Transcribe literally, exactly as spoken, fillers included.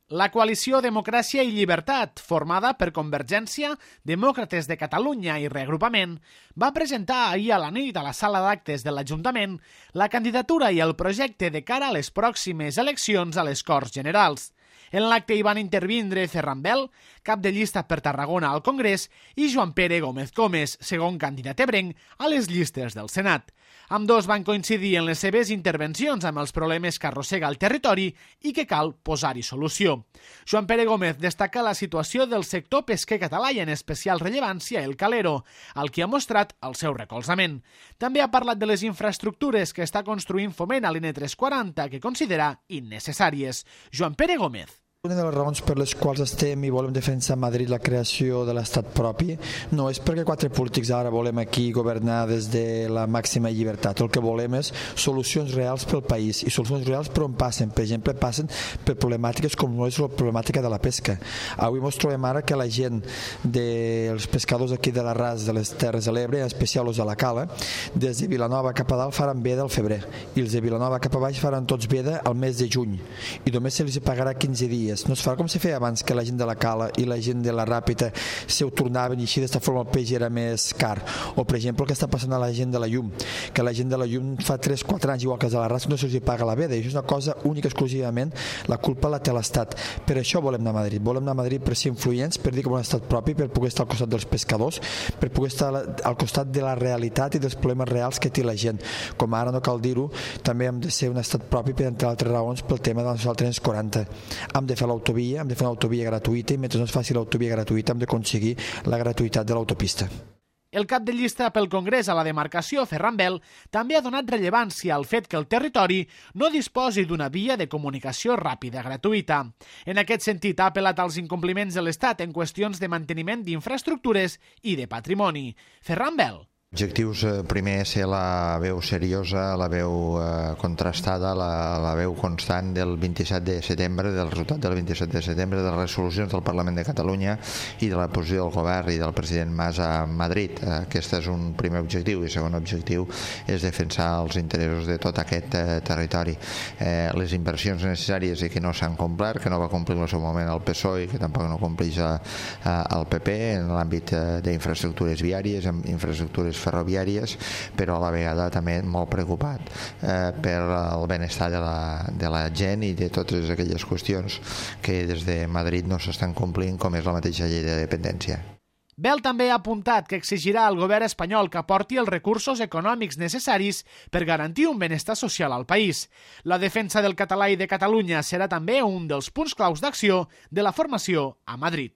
La coalició Democràcia i Llibertat, formada per Convergència, Demòcrates de Catalunya i Reagrupament, va presentar ahir a la nit a la sala d'actes de l'Ajuntament la candidatura i el projecte de cara a les pròximes eleccions a les Corts Generals. En l'acte hi van intervindre Ferran Bel, cap de llista per Tarragona al Congrés, i Joan Pere Gómez Comes, segon candidat ebrenc a les llistes del Senat. Ambdós van coincidir en les seves intervencions amb els problemes que arrossega el territori i que cal posar-hi solució. Joan Pere Gómez destaca la situació del sector pesquer català i en especial rellevància el calero, al que ha mostrat el seu recolzament. També ha parlat de les infraestructures que està construint Foment a l'N tres cents i quaranta que considera innecessàries. Joan Pere Gómez. Una de les raons per les quals estem i volem defensar a Madrid la creació de l'estat propi no és perquè quatre polítics ara volem aquí governar des de la màxima llibertat. El que volem és solucions reals pel país i solucions reals per on passen. Per exemple, passen per problemàtiques com no és la problemàtica de la pesca. Avui ens trobem ara que la gent dels pescadors aquí de la Ras de les Terres de l'Ebre, en especial els de la Cala, des de Vilanova cap a dalt faran veda al febrer i els de Vilanova cap a baix faran tots veda al mes de juny i només se els pagarà quinze dies. No es farà com se feia abans, que la gent de la Cala i la gent de la Ràpita se ho tornaven i així d'esta forma el peix era més car. O per exemple el que està passant a la gent de la Llum, que la gent de la Llum fa tres o quatre anys, igual que els de la Ras, no se'ls paga la veda, i això és una cosa única, exclusivament la culpa la té l'Estat. Per això volem anar a Madrid, volem anar a Madrid per ser influents, per dir que volem un estat propi, per poder estar al costat dels pescadors, per poder estar al costat de la realitat i dels problemes reals que té la gent. Com ara no cal dir-ho, també hem de ser un estat propi per entre altres raons pel tema de la tres cents i quaranta. Hem de fer l'autovia, hem de fer una autovia gratuïta i mentre no es faci l'autovia gratuïta hem d'aconseguir la gratuïtat de l'autopista. El cap de llista pel Congrés a la demarcació, Ferran Bel, també ha donat rellevància al fet que el territori no disposi d'una via de comunicació ràpida gratuïta. En aquest sentit, ha apel·lat als incompliments de l'Estat en qüestions de manteniment d'infraestructures i de patrimoni. Ferran Bel. Objectius, primer, ser la veu seriosa, la veu eh, contrastada, la, la veu constant del vint-i-set de setembre, del resultat del vint-i-set de setembre, de les resolucions del Parlament de Catalunya i de la posició del govern i del president Mas a Madrid. Aquest és un primer objectiu, i el segon objectiu és defensar els interessos de tot aquest eh, territori. Eh, les inversions necessàries i que no s'han complert, que no va complir en el seu moment el P S O E i que tampoc no compleix el P P en l'àmbit eh, d'infraestructures viàries, en infraestructures ferroviàries, però a la vegada també molt preocupat eh, per el benestar de la, de la gent i de totes aquelles qüestions que des de Madrid no s'estan complint, com és la mateixa llei de dependència. Bel també ha apuntat que exigirà al govern espanyol que aporti els recursos econòmics necessaris per garantir un benestar social al país. La defensa del català i de Catalunya serà també un dels punts claus d'acció de la formació a Madrid.